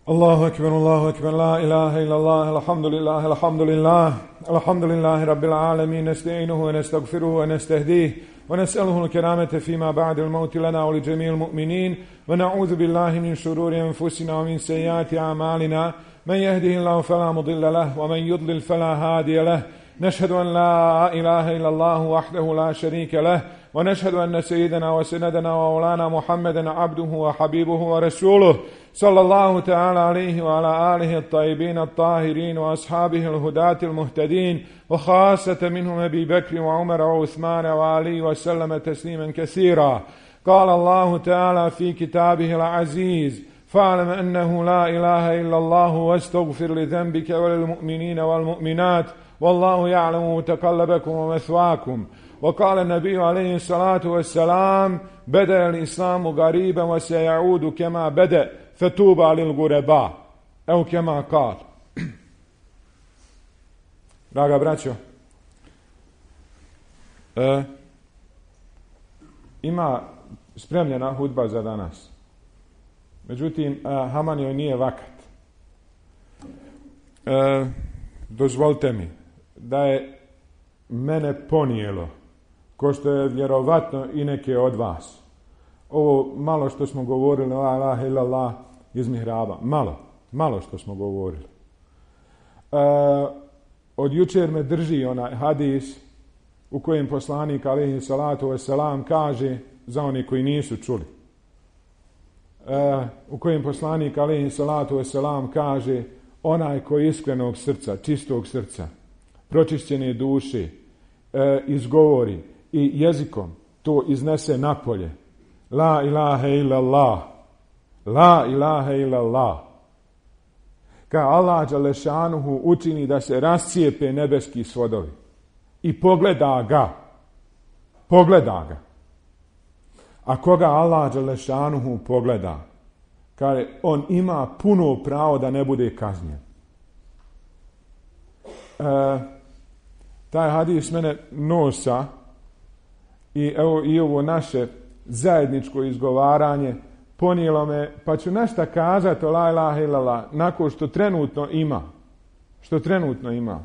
الله أكبر لا إله إلا الله الحمد لله رب العالمين نستعينه ونستغفره ونستهديه ونسأله الكرامة فيما بعد الموت لنا ولجميع المؤمنين ونعوذ بالله من شرور أنفسنا ومن سيئات أعمالنا من يهده الله فلا مضل له ومن يضلل فلا هادي له نشهد أن لا إله إلا الله وحده لا شريك له ونشهد أن سيدنا وسندنا ومولانا محمدا عبده وحبيبه ورسوله صلى الله تعالى عليه وعلى آله الطيبين الطاهرين وأصحابه الهداة المهتدين وخاصة منهم أبي بكر وعمر وعثمان وعلي وسلم تسليما كثيرا. قال الله تعالى في كتابه العزيز: فاعلم أنه لا إله إلا الله واستغفر لذنبك وللمؤمنين والمؤمنات والله يعلم متقلبكم ومثواكم. وقال النبي عليه الصلاة والسلام: بدأ الإسلام غريبا وسيعود كما بدأ فتوبى للغرباء أو كما قال. Draga braćo, ima spremljena hudba za danas. Međutim, haman joj nije vakat. Dozvolite mi da je mene ponijelo, ko što je vjerovatno i neke od vas, ovo malo što smo govorili la ilaha illallah iz mihraba, malo što smo govorili. Od jučer me drži onaj hadis u kojem poslanik alejhi salatu vesselam kaže, za one koji nisu čuli, u kojem poslanik alejhi salatu vesselam kaže: onaj koji iskrenog srca, čistog srca, pročišćene duše izgovori i jezikom to iznese napolje, la ilaha illallah, la ilaha illallah, ka Allah dželešanuhu učini da se rascijepe nebeski svodovi i pogleda ga. A koga Allah dželešanuhu pogleda, kaže, on ima puno pravo da ne bude kažnjen. Taj hadis mene nosa i evo i ovo naše zajedničko izgovaranje ponijelo me, pa ću nešto kazati o la ilaha illallah nakon što trenutno ima.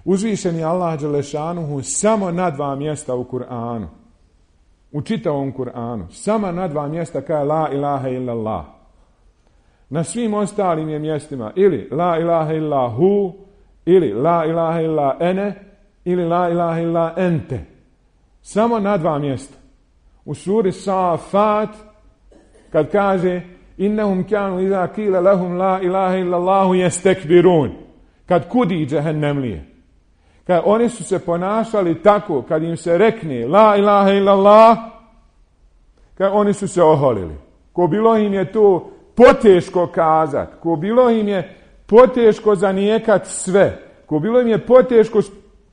Uzvišen je Allah dželešanuhu samo na 2 mjesta u Kur'anu, u čitavom Kur'anu, samo na 2 mjesta kaže la ilaha illallah. Na svim ostalim je mjestima ili la ilaha illahu, ili la ilaha illa ene, ili la ilaha illa ente. Samo na 2 mjesta. U suri Safat, kad kaže innahum kanu iza qila lahum la ilaha illa Allahu yastakbirun, kad kudi džehennemlije, kad oni su se ponašali tako kad im se rekne la ilaha illa Allah, kad oni su se oholili. Ko bilo im je to poteško kazat, ko bilo im je poteško zanijekat sve, ko bilo im je poteško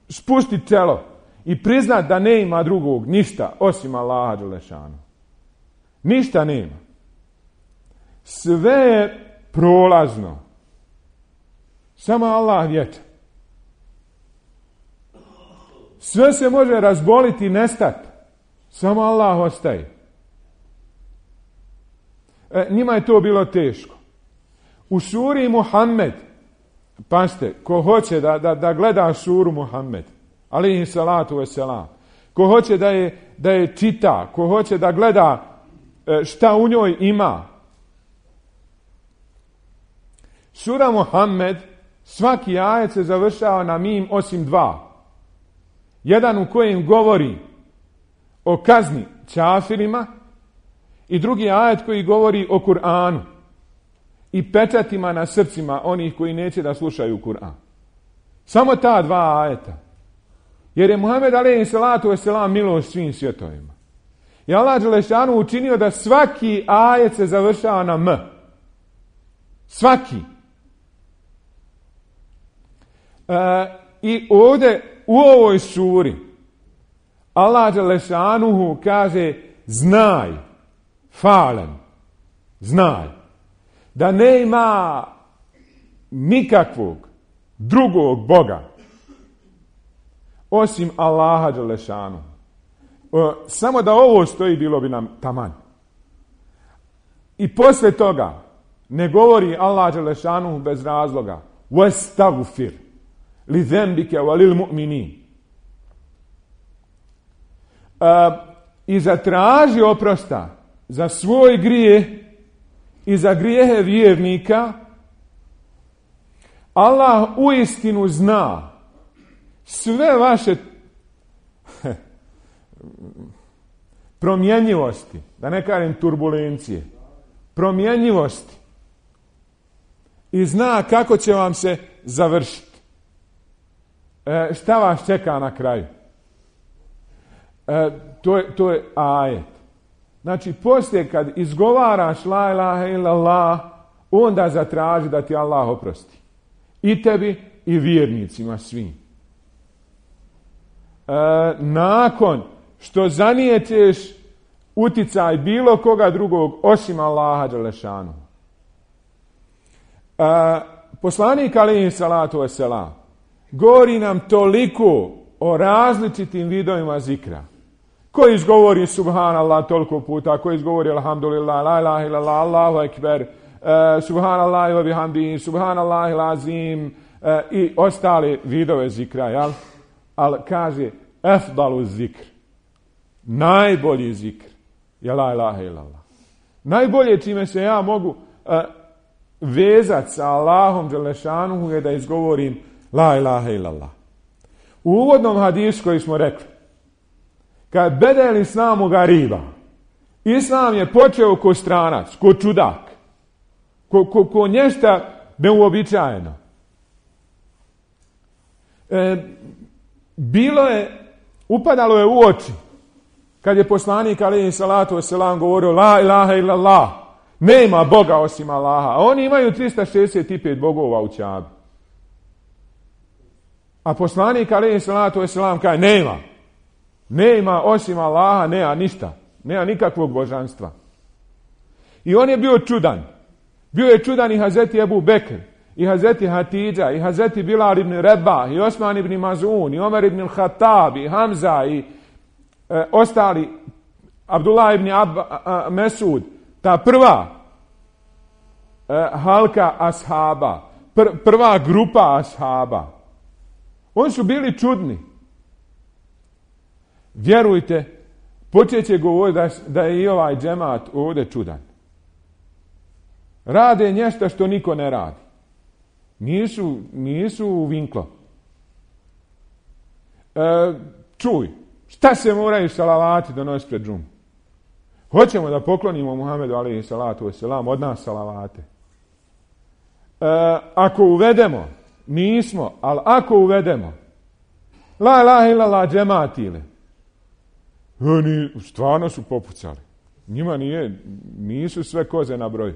spustiti čelo i priznat da ne ima drugog ništa osim Allaha dželešanu. Ništa nema. Sve je prolazno. Samo Allah vječan. Sve se može razboliti i nestati. Samo Allah ostaje. Njima je to bilo teško. U suri Muhammed, pazite, ko hoće da gleda suru Muhammed, alejhi salatu vesselam, ko hoće da je čita, ko hoće da gleda šta u njoj ima. Sura Muhammed, svaki ajet se završava na mim osim 2. Jedan u kojem govori o kazni čafirima i drugi ajet koji govori o Kur'anu i pečatima na srcima onih koji neće da slušaju Kur'an. Samo ta 2 ajeta. Jer je Muhammed alejhi salatu vesselam milost svim svjetovima. I Allah dželešanu učinio da svaki ajet se završava na m. Svaki. I ovdje u ovoj suri Allah dželešanuhu kaže znaj, falem, znaj, da nema nikakvog drugog Boga osim Allaha dželešanu. Samo da ovo stoji bilo bi nam taman. I posle toga Ne govori Allah dželešanu bez razloga. Wastagfir li zembike wa lil mu'minin. I zatraži oprosta za svoj grijeh i za grijehe vjernika. Allah uistinu zna sve vaše promjenjivosti, da ne kažem turbulencije, promjenjivosti. I zna kako će vam se završiti. Šta vas čeka na kraju? To je ajet. Znači, poslije kad izgovaraš la ilaha illallah, onda zatraži da ti Allah oprosti. I tebi i vjernicima svim. Nakon što zanijeteš uticaj bilo koga drugog osim Allaha dželešanu. Poslanik alejhi salatu vesselam govori nam toliko o različitim vidovima zikra. Ko izgovori subhanallah toliko puta, ko izgovori alhamdulillah, la ilaha illallah, Allahu ekber, subhanallah wa bihamdihi, subhanallah lazim i ostale vidove zikra, jel? Ali kaže efdalu zikr, najbolji zikr je la ilaha illallah. Najbolje čime se ja mogu vezati sa Allahom dželešanuhu je da izgovorim la ilaha illallah. U uvodnom hadisu koji smo rekli, kad bedel islamu gariba, islam je počeo ko stranac, ko čudak, ko nešto neuobičajeno. Upadalo je u oči kad je poslanik alejhi salatu vesselam govorio la ilaha illallah, nema Boga osim Allaha. A oni imaju 365 bogova u Čabi. A poslanik alejhi salatu vesselam kaže nema osim Allaha, nema ništa, nema nikakvog božanstva. I on je bio čudan. Bio je čudan i Hazreti Ebu Bekr, i Hazreti Hatidža, i Hazreti Bilal ibn Rebah, i Osman ibn Mazun, i Omer ibn Khattab, i Hamza, i ostali, Abdullah ibn Mesud, ta prva halka ashaba, prva grupa ashaba. Oni su bili čudni. Vjerujte, počet će govoriti da je i ovaj džemat ovdje čudan. Rade nešto što niko ne radi. Nisu u vinklo. Čuj, šta se moraju salavati donositi pred džumu? Hoćemo da poklonimo Muhammedu alejhi salatu vesselam od nas salavate. Ako uvedemo, nismo, ali ako uvedemo, la ilaha illallah džematile, oni stvarno su popucali. Njima nisu sve koze na broju.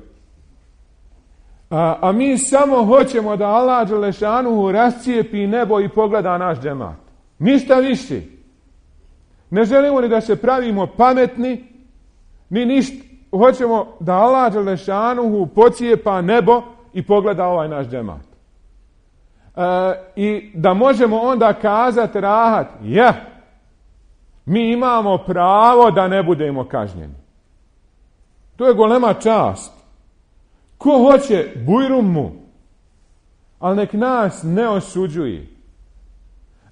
A mi samo hoćemo da Allah dželešanuhu rascijepi nebo i pogleda naš džemat. Ništa više. Ne želimo ni da se pravimo pametni, ni ništa. Hoćemo da Allah dželešanuhu pocijepa nebo i pogleda ovaj naš džemat. I da možemo onda kazati rahat, mi imamo pravo da ne budemo kažnjeni. To je golema čast. Ko hoće, bujrum mu. Ali nek nas ne osuđuje.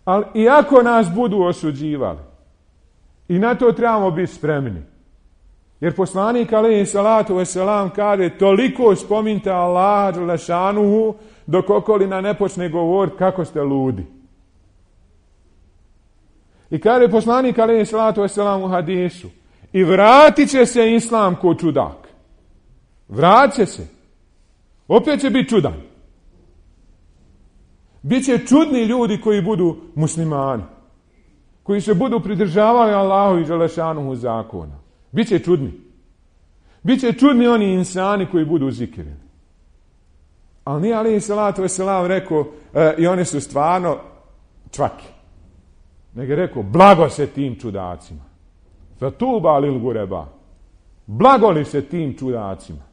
Ali i ako nas budu osuđivali, i na to trebamo biti spremni. Jer poslanik alejhi salatu vesselam kaže toliko spominjte Allaha dželešanuhu dok okolina ne počne govoriti kako ste ludi. I kaže poslanik alejhi salatu vesselam u hadisu, i vratit će se islam ko čudak. Vratit će se. Opet će biti čudan. Biće čudni ljudi koji budu muslimani. Koji se budu pridržavali Allahu i dželešanuhu zakona. Biće čudni. Biće čudni oni insani koji budu zikirili. Ali nije alejhi salatu vesselam rekao i oni su stvarno čvaki. Nego je rekao blago se tim čudacima. Fatuba lil gureba. Blago li se tim čudacima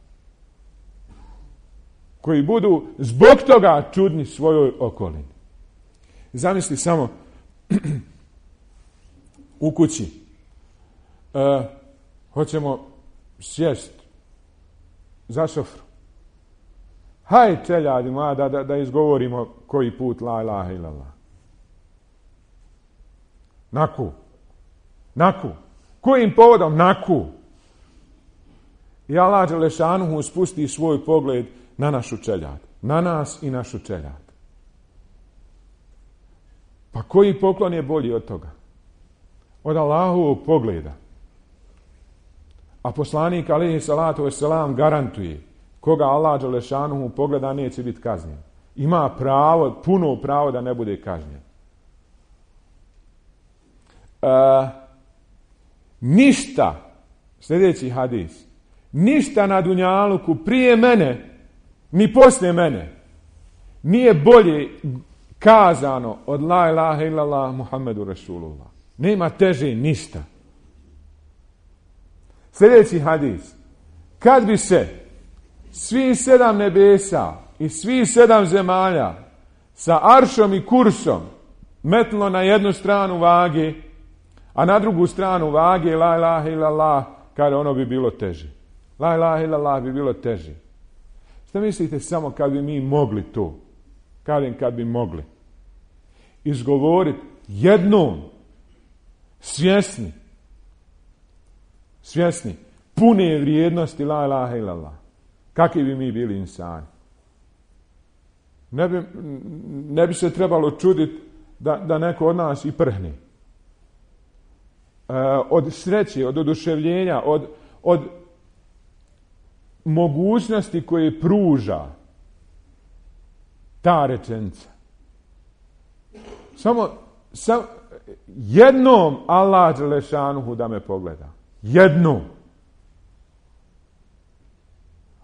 koji budu zbog toga čudni svojoj okolini. Zamisli samo u kući. Hoćemo sjest za sofru. Haj čeljadi moja da izgovorimo koji put la ilaha illallah. Naku. Kojim povodom? Naku. I Allah dželešanuhu spusti svoj pogled na našu čeljad. Na nas i našu čeljad. Pa koji poklon je bolji od toga? Od Allahovog pogleda. A poslanik alejhi salatu vesselam garantuje koga Allah dželešanuhu pogleda neće biti kažnjen. Ima pravo, puno pravo da ne bude kažnjen. Ništa, sljedeći hadis, ništa na dunjaluku prije mene ni poslije mene nije bolje kazano od la ilaha illallah Muhammedu Rasulullah. Nema teže ništa. Sljedeći hadis. Kad bi se svi 7 nebesa i svi 7 zemalja sa aršom i kursom metlo na jednu stranu vage, a na drugu stranu vage la ilaha illallah, kada ono bi bilo teže. La ilaha illallah bi bilo teže. Šta mislite samo kad bi mi mogli to? Kad bi mogli izgovoriti jednom svjesni pune vrijednosti la ilaha illallah. Kakvi bi mi bili insani? Ne bi se trebalo čuditi da neko od nas i prhne. Od sreće, od oduševljenja, od mogućnosti koje pruža ta rečenica. Samo jednom Allah dželešanuhu da me pogleda. Jednom.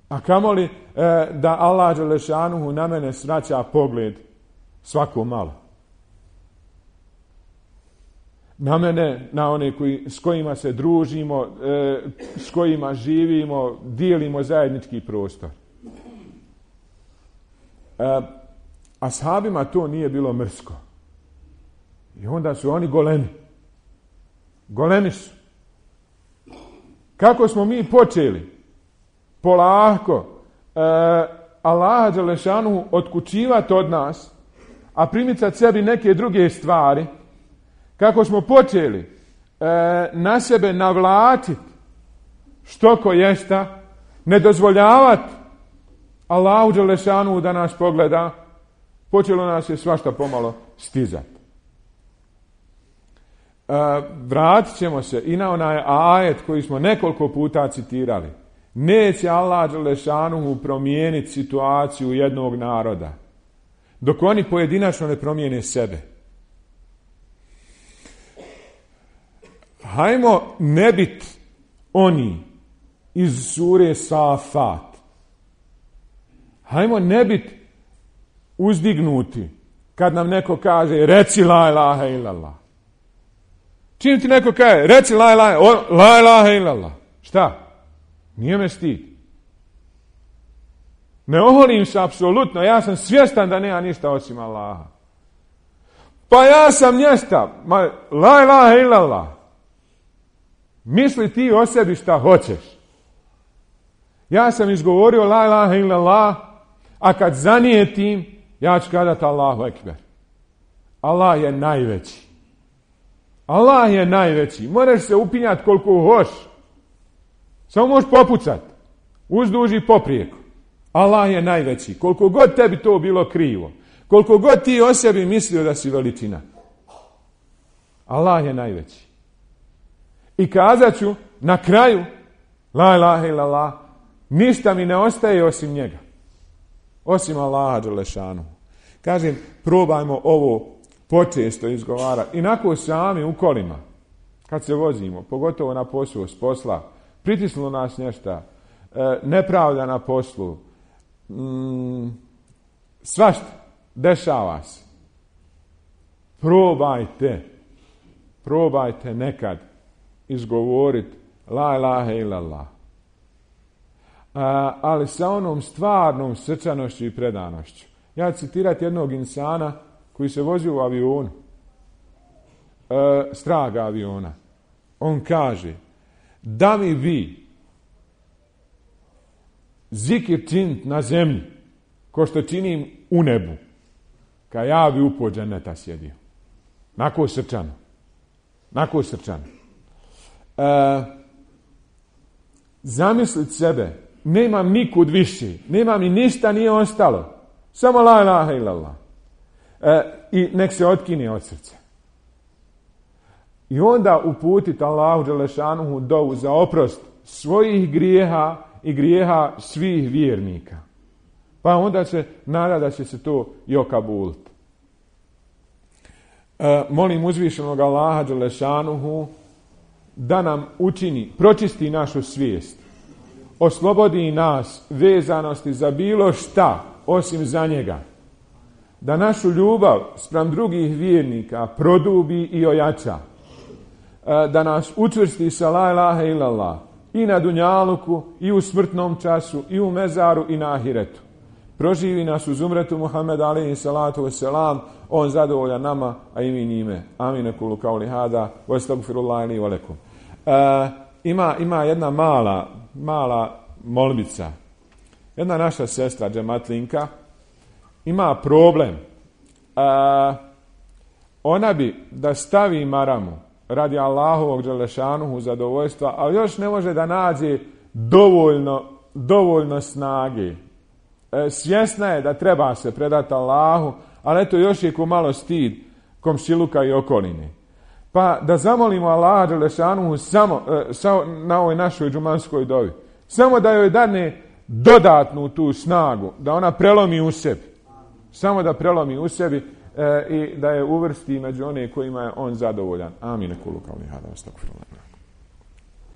A kamoli da Allah dželešanuhu na mene svraća pogled svako malo. Na mene, na one s kojima se družimo, s kojima živimo, dijelimo zajednički prostor. Ashabima to nije bilo mrsko. I onda su oni golemi. Golemi su. Kako smo mi počeli? Polako Allaha dželešanu otkučivati od nas, a primicati sebi neke druge stvari, kako smo počeli na sebe navlačiti što ko jesta, ne dozvoljavati Allahu dželešanu da nas pogleda, počelo nas je svašta pomalo stizati. Vratit ćemo se i na onaj ajet koji smo nekoliko puta citirali. Neće Allah dželešanuhu promijeniti situaciju jednog naroda dok oni pojedinačno ne promijene sebe. Hajmo ne biti oni iz sure Safat. Hajmo ne biti uzdignuti kad nam neko kaže reci la ilaha illallah. Čim ti neko kaže reci la ilaha illallah. Šta? Nije me stid. Ne oholim se apsolutno. Ja sam svjestan da nema ništa osim Allaha. Pa ja sam la ilaha illallah. Misli ti o sebi šta hoćeš. Ja sam izgovorio la ilaha illallah, a kad zanijetim, ja ću kazati Allahu ekber. Allah je najveći. Allah je najveći. Moraš se upinjati koliko hoš. Samo možeš popucati. Uzduž i poprijeko. Allah je najveći. Koliko god tebi to bilo krivo. Koliko god ti o sebi mislio da si veličina. Allah je najveći. I kazat ću na kraju la ilaha illallah, ništa mi ne ostaje osim njega. Osim Allaha dželešanu. Kažem, probajmo ovo počesto izgovarati. Inako sami u kolima, kad se vozimo, pogotovo na poslu s posla, pritisnulo nas nešto, nepravda na poslu, svašta, dešava se. Probajte nekad izgovoriti la ilaha illallah. Ali sa onom stvarnom srčanošću i predanošću. Ja ću citirati jednog insana koji se vozi u avionu, straga aviona. On kaže, da mi vi zikir činit na zemlji ko što činim u nebu, kad ja bi upao dženeta sjedio. Nako srčano. Zamislit sebe, nemam nikud više, nemam ni ništa nije ostalo, samo la ilaha illallah. I nek se otkine od srca. I onda uputiti Allahu dželešanuhu dovu za oprost svojih grijeha i grijeha svih vjernika. Pa onda se nada da će se to i okabuliti. Molim uzvišenog Allaha dželešanuhu da nam učini, pročisti našu svijest, oslobodi nas vezanosti za bilo šta osim za njega, da našu ljubav spram drugih vjernika produbi i ojača, da nas učvrsti sa la ilaha illallah i na dunjaluku i u smrtnom času i u mezaru i na ahiretu. Proživi nas uz umretu Muhammed alejhi salatu vesselam, on zadovoljan nama, a i mi njime. Amin ekulu kauli hada, wa astagfirullahi li wa lakum. Ima jedna mala molbica. Jedna naša sestra džematlinka ima problem. Ona bi da stavi maramu radi Allahovog dželešanuhu zadovoljstva, ali još ne može da nađe dovoljno snage. Svjesna je da treba se predati Allahu, ali eto još je ko malo stid komšiluka i okoline. Pa da zamolimo Allaha dželešanuhu samo na ovoj našoj džumanskoj dovi. Samo da joj dadne dodatnu tu snagu, da ona prelomi u sebi. Samo da prelomi u sebi i da je uvrsti među one kojima je on zadovoljan. Amin. Kulu kao lihada, astagfirullah.